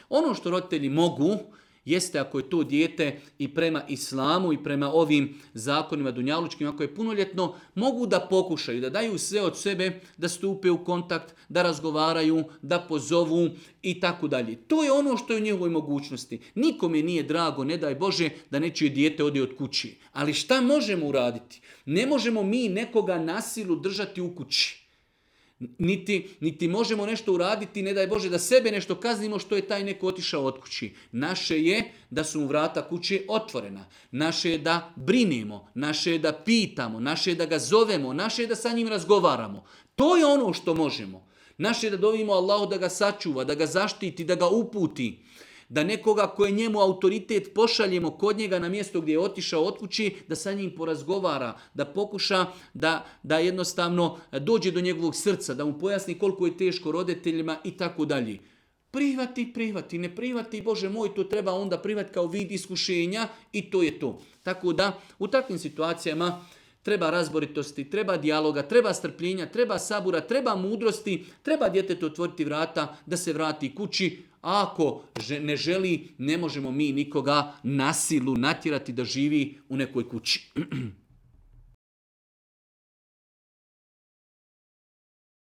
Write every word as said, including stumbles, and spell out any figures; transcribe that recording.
Ono što roditelji mogu, jeste ako je to dijete i prema islamu i prema ovim zakonima dunjalučkim, ako je punoljetno, mogu da pokušaju, da daju sve od sebe, da stupe u kontakt, da razgovaraju, da pozovu i tako dalje. To je ono što je u njegovoj mogućnosti. Nikome nije drago, ne daj Bože, da nečije dijete ode od kući. Ali šta možemo uraditi? Ne možemo mi nekoga na silu držati u kući. Niti, niti možemo nešto uraditi, ne daj Bože da sebe nešto kaznimo što je taj neko otišao od kući. Naše je da su mu vrata kuće otvorena. Naše je da brinemo, naše je da pitamo, naše je da ga zovemo, naše je da sa njim razgovaramo. To je ono što možemo. Naše je da dovimo Allahu da ga sačuva, da ga zaštiti, da ga uputi. Da nekoga koji je njemu autoritet pošaljemo kod njega na mjesto gdje je otišao od kući, da sa njim porazgovara, da pokuša da, da jednostavno dođe do njegovog srca, da mu pojasni koliko je teško roditeljima i tako dalje. Prihvati, prihvati, ne prihvati, Bože moj, to treba onda prihvati kao vid iskušenja i to je to. Tako da u takvim situacijama treba razboritosti, treba dijaloga, treba strpljenja, treba sabura, treba mudrosti, treba djetetu otvoriti vrata da se vrati kući. A ako ne želi, ne možemo mi nikoga na silu natjerati da živi u nekoj kući.